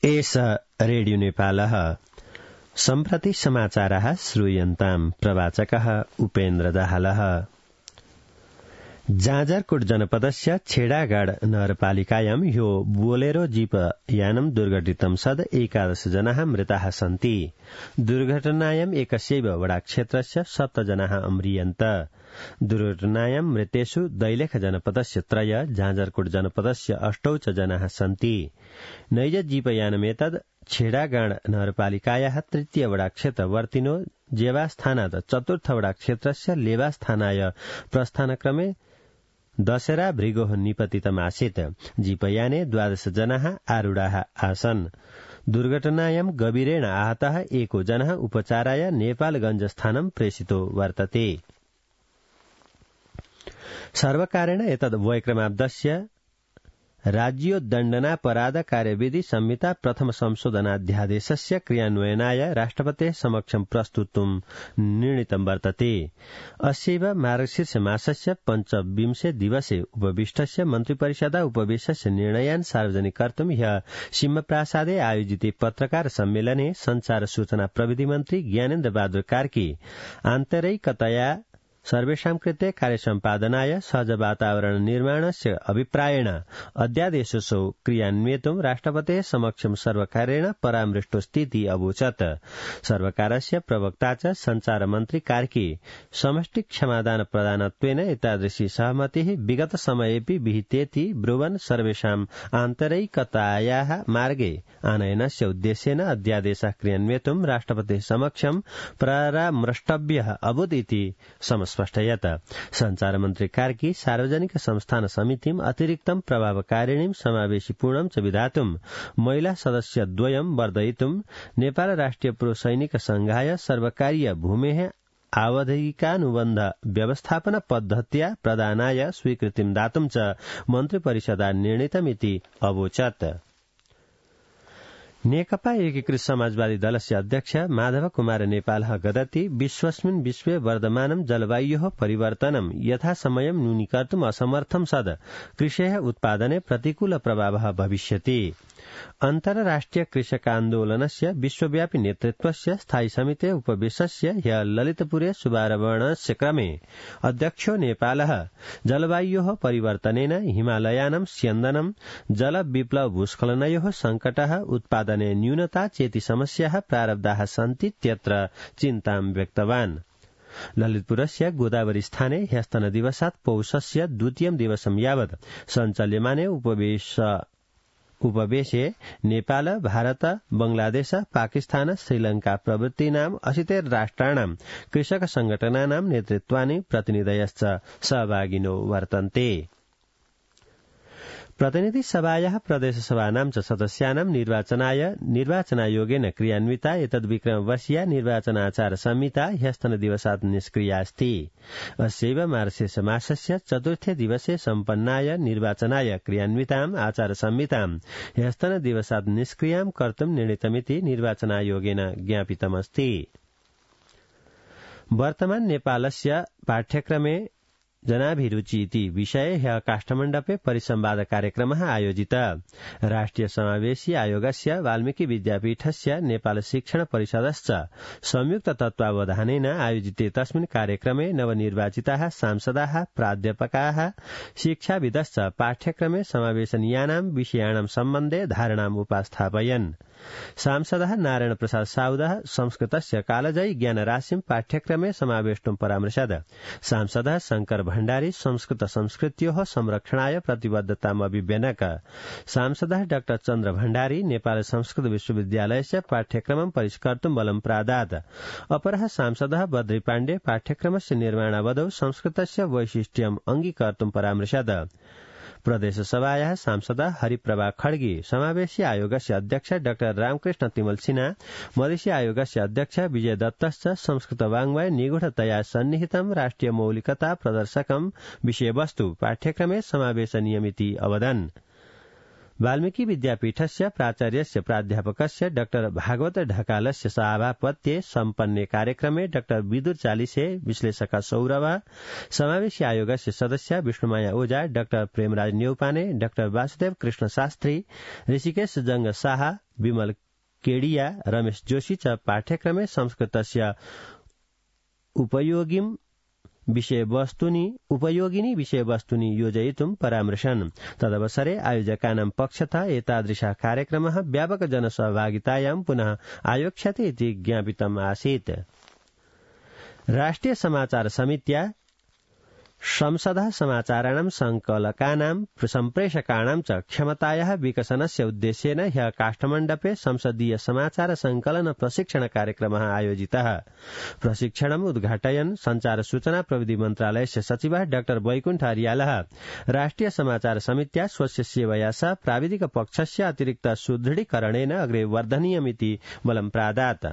एष रेडियो नेपालः सम्प्रति समाचारः श्रूयन्ताम् प्रवाचकः उपेन्द्र दाहालः। जाजरकोट जनपदस्य छेडागाड नगरपालिकायां ह्यो बोलेरो जीप यानं दुर्घटितं सद् 11 जनाः मृताः सन्ति। दुर्घटनायाम् एकस्यैव वडाक्षेत्रस्य 7 जनाः अम्रियन्त। दुर्घटनायां मृतेषु दैलेख जनपदस्य 3, जाजरकोट जनपदस्य 8 च जनाः सन्ति। नैज जीपयानमेतद् छेडागाड नगरपालिकायाः 3 वडाक्षेत्रवर्तिनो जेवास्थानात् 4 वडाक्षेत्रस्य लेवास्थानाय प्रस्थानक्रमे दशरा भृगोः निपतितमासीत्। जीपयाने 12 जनाः आरूढाः आसन्। दुर्घटनायां गभीरेण आहतः 1 जनः उपचाराय नेपालगञ्ज स्थानं प्रेषितो वर्तते। सर्वकारेण एतद् वयक्रमाब्दस्य राज्योद्दण्डनापराध कार्यविधि संहिता प्रथम संशोधनाध्यादेशस्य क्रियान्वयनाय राष्ट्रपतेः समक्षं प्रस्तुतुं निर्णीतं वर्तते। अस्यैव मार्गशीर्ष मासस्य 25 दिवसे उपविष्टस्य मन्त्रिपरिषदा उपवेशस्य निर्णयान् सार्वजनिक कर्तुं ह्यः सिंहप्रासादे आयोजिते पत्रकार सम्मेलने संचार सूचना प्रविधि मन्त्री ज्ञानेन्द्र बहादुर कार्की आन्तरिकतया सर्वेषां कृते कार्यसम्पादनाय सहज वातावरण निर्माणस्य अभिप्रायेण अध्यादेशो क्रियान्वयितुं राष्ट्रपतेः समक्षं सर्वकारेण परामृष्टोऽस्तीति अवोचत्। सर्वकारस्य प्रवक्ता च संचार मन्त्री कार्की समष्टि क्षमादान प्रदानत्वेन एतादृशी सहमतिः विगत समयेऽपि विहितेति ब्रुवन् सर्वेषाम् आन्तरिकतायाः मार्गे आनयनस्य उद्देश्येन अध्यादेशः क्रियान्वयितुं राष्ट्रपतेः समक्षं परामृष्टव्यः अभूत् इति स्पष्टयत्। संचार मन्त्री कार्की सार्वजनिक संस्थान समितिम् अतिरिक्तं प्रभावकारिणीं समावेशीपूर्णं च विधातुं महिला सदस्यद्वयं वर्धयितुं नेपाल राष्ट्रिय पुरुष सैनिक संघाय सर्वकारीय भूमेः आवधिकानुबन्ध व्यवस्थापन पद्धत्या प्रदानाय स्वीकृतिं दातुं च मन्त्रिपरिषदा निर्णीतमिति अवोचत्। नेकपा एकीकृत समाजवादी दलस्य अध्यक्ष माधव कुमार नेपालः गदति विश्वस्मिन् विश्वे वर्धमानं जलवायोः परिवर्तनं यथासमयं न्यूनीकर्तुम् असमर्थं सद् कृषेः उत्पादने प्रतिकूल प्रभावः भविष्यति। अन्तर्राष्ट्रिय कृषकान्दोलनस्य विश्वव्यापी नेतृत्वस्य स्थायी समितेः उपवेशस्य ह्यः ललितपुरे शुभारम्भस्य क्रमे अध्यक्षो नेपालः जलवायोः परिवर्तनेन हिमालयानां स्यन्दनं जलविप्लव भूस्खलनयोः सङ्कटः उत्पादने न्यूनता चेति समस्याः प्रारब्धाः सन्तीत्यत्र चिन्तां व्यक्तवान्। ललितपुरस्य गोदावरी स्थाने ह्यस्तनदिवसात् पौषस्य 2 दिवसं यावत् सञ्चाल्यमाने उपवेशे नेपाल, भारत, बंगलादेश, पाकिस्तान, श्रीलंका प्रभृतीनाम् 80 राष्ट्राणां कृषक संघटनानां नेतृत्वानि प्रतिनिधयश्च सहभागिनो वर्तन्ते। प्रतिनिधि सभायाः प्रदेशसभानां च सदस्यानां निर्वाचनायोगेन क्रियान्विता एतद्विक्रमवर्षीया निर्वाचनाचार संहिता ह्यस्तनदिवसात् निष्क्रिया अस्ति। अस्यैव मार्गशीर्ष मासस्य 4 दिवसे सम्पन्नाय निर्वाचनाय क्रियान्विताम् आचार संहितां ह्यस्तनदिवसात् निष्क्रियां कर्तुं निर्णीतमिति निर्वाचनायोगेन ज्ञापितमस्ति। वर्तमान नेपालस्य पाठ्यक्रमे जनाभिरुचि इति विषये ह्यः काष्ठमण्डपे परिसंवाद कार्यक्रमः आयोजितः। राष्ट्रिय समावेशी आयोगस्य वाल्मीकि विद्यापीठस्य नेपाल शिक्षण परिषदश्च संयुक्त तत्त्वावधानेन आयोजिते तस्मिन् कार्यक्रमे नवनिर्वाचिताः सांसदाः, प्राध्यापकाः, शिक्षाविदश्च पाठ्यक्रमे समावेशनीयानां विषयाणां सम्बन्धे धारणाम् उपस्थापयन्। सांसदः नारायण प्रसाद साउदः संस्कृतस्य कालजयी ज्ञानराशिं पाठ्यक्रमे समावेष्टुं परामृशत्। सांसदः शंकर भण्डारी संस्कृत संस्कृत्योः संरक्षणाय प्रतिबद्धताम् अभिव्यनक। सांसदः डॉ चन्द्र भण्डारी नेपाल संस्कृत विश्वविद्यालयस्य पाठ्यक्रमं परिष्कर्तुं बलं प्रादात्। अपरः सांसदः बद्री पाण्डे पाठ्यक्रमस्य निर्माणावधौ संस्कृतस्य वैशिष्ट्यम् अङ्गीकर्तुं परामृशत्। प्रदेशसभायाः सांसदः हरिप्रभा खड्गी, समावेशी आयोगस्य अध्यक्ष डॉ रामकृष्ण तिमल सिन्हा, मधेसी आयोगस्य अध्यक्ष विजय दत्तश्च संस्कृत वाङ्मय निगूढतया सन्निहितं राष्ट्रिय मौलिकता प्रदर्शकं विषयवस्तु पाठ्यक्रमे समावेशनीयमिति अवदन्। वाल्मीकि विद्यापीठस्य प्राचार्यस्य प्राध्यापकस्य डॉक्टर भागवत ढकालस्य सभापत्ये सम्पन्ने कार्यक्रमे डॉक्टर विदुर चालिसे विश्लेषक सौरभ समावेशी आयोगस्य सदस्य विष्णुमाया ओझा डॉक्टर प्रेमराज न्यौपाने डॉक्टर वासुदेव कृष्ण शास्त्री ऋषिकेश जंग शाह विमल केडिया रमेश जोशी च पाठ्यक्रमे संस्कृतस्य उपयोगिनी विषयवस्तुनि योजयितुं परामर्शन् तदवसरे आयोजकानां पक्षतः एतादृशः कार्यक्रमः व्यापक जनसहभागितायां पुनः आयोक्ष्यते इति ज्ञापितम् आसीत्। राष्ट्रिय समाचार समित्या संसदः समाचाराणां संकलकानां सम्प्रेषकाणां च क्षमतायाः विकसनस्य उद्देश्येन ह्यः काष्ठमण्डपे संसदीय समाचार संकलन प्रशिक्षण कार्यक्रमः आयोजितः। प्रशिक्षणम् उद्घाटयन् संचार सूचना प्रविधि मन्त्रालयस्य सचिवः डॉ वैकुण्ठ अर्यालः राष्ट्रिय समाचार समित्या स्वस्य सेवया सह प्राविधिक पक्षस्य अतिरिक्त सुदृढीकरणेन अग्रे वर्धनीयमिति बलं प्रादात्।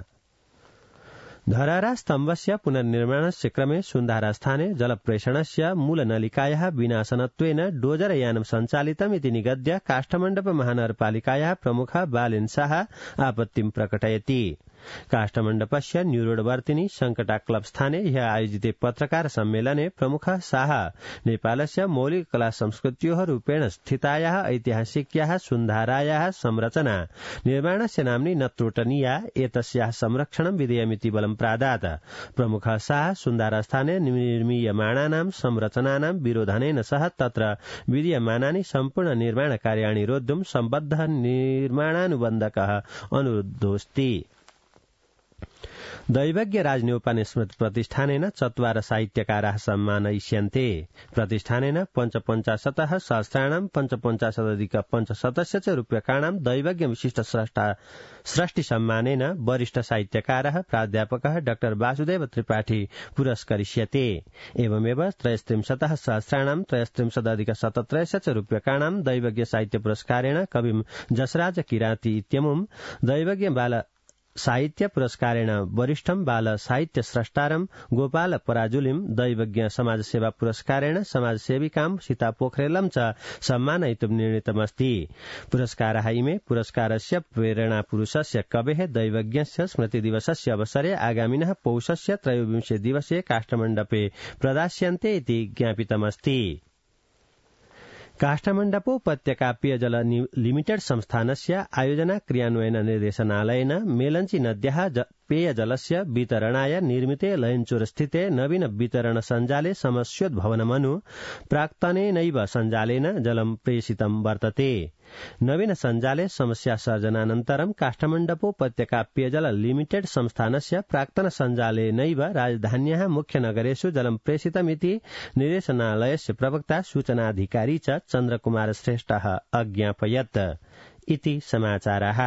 धरारा स्तम्भस्य पुनर्निर्माणस्य क्रमे सुन्धारास्थाने जलप्रेषणस्य मूलनलिकायाः विनाशनत्वेन डोजरयानं सञ्चालितम् इति निगद्य काष्ठमण्डप महानगरपालिकायाः प्रमुखः बालेन शाह आपत्तिं प्रकटयति। काष्ठमण्डपस्य न्यूरोडवर्तिनि संकटा क्लब स्थाने ह्यः आयोजिते पत्रकार सम्मेलने प्रमुखः शाह नेपालस्य मौलिक कला संस्कृत्योः रूपेण स्थितायाः ऐतिहासिक्याः सुन्धारायाः संरचना निर्माणस्य नाम्नि न त्रोटनीया एतस्याः संरक्षणं विधेयमिति बलं प्रादात्। प्रमुखः शाह सुन्धारास्थाने निर्मीयमाणानां संरचनानां विरोधनेन सह तत्र विधीयमानानि सम्पूर्ण निर्माण कार्याणि रोद्धुं सम्बद्धः निर्माणानुबन्धकः अनुरुद्धोऽस्ति। दैवज्ञ राजन्यौपाने स्मृति प्रतिष्ठानेन 4 साहित्यकाराः सम्मानयिष्यन्ते। प्रतिष्ठानेन 55 सहस्राणां 55,500 च रूप्यकाणां दैवज्ञ विशिष्ट सृष्टि सम्मानेन वरिष्ठ साहित्यकारः प्राध्यापकः डॉ वासुदेव त्रिपाठी पुरस्करिष्यते। एवमेव 33 सहस्राणां 33,017 च रूप्यकाणां दैवज्ञ साहित्य पुरस्कारेण कविं जसराज किराती इत्यमुं दैवज्ञ बाल साहित्य पुरस्कारेण वरिष्ठं बाल साहित्य स्रष्टारं गोपाल पराजुलिं दैवज्ञ समाजसेवा पुरस्कारेण समाजसेविकां सीता पोखरेलं च सम्मानयितुं निर्णीतमस्ति। पुरस्काराः इमे पुरस्कारस्य प्रेरणापुरुषस्य कवेः दैवज्ञस्य स्मृतिदिवसस्य अवसरे आगामिनः पौषस्य 23 दिवसे काष्ठमण्डपे प्रदास्यन्ते इति ज्ञापितमस्ति। काष्ठमण्डपोपत्यका पेयजल लिमिटेड संस्थानस्य आयोजना क्रियान्वयन निर्देशनालयेन मेलञ्ची नद्याः पेयजलस्य वितरणाय निर्मिते लयञ्चूरस्थिते नवीन वितरण सञ्जाले समस्योद्भवनमनु प्राक्तनेनैव सञ्जालेन जलं प्रेषितं वर्तते। नवीन सञ्जाले समस्या सर्जनानन्तरं काष्ठमण्डपोपत्यका पेयजल लिमिटेड संस्थानस्य प्राक्तन सञ्जालेनैव राजधान्याः मुख्यनगरेषु जलं प्रेषितमिति निर्देशनालयस्य प्रवक्ता सूचनाधिकारी च चन्द्रकुमार श्रेष्ठः अज्ञापयत् इति समाचाराः।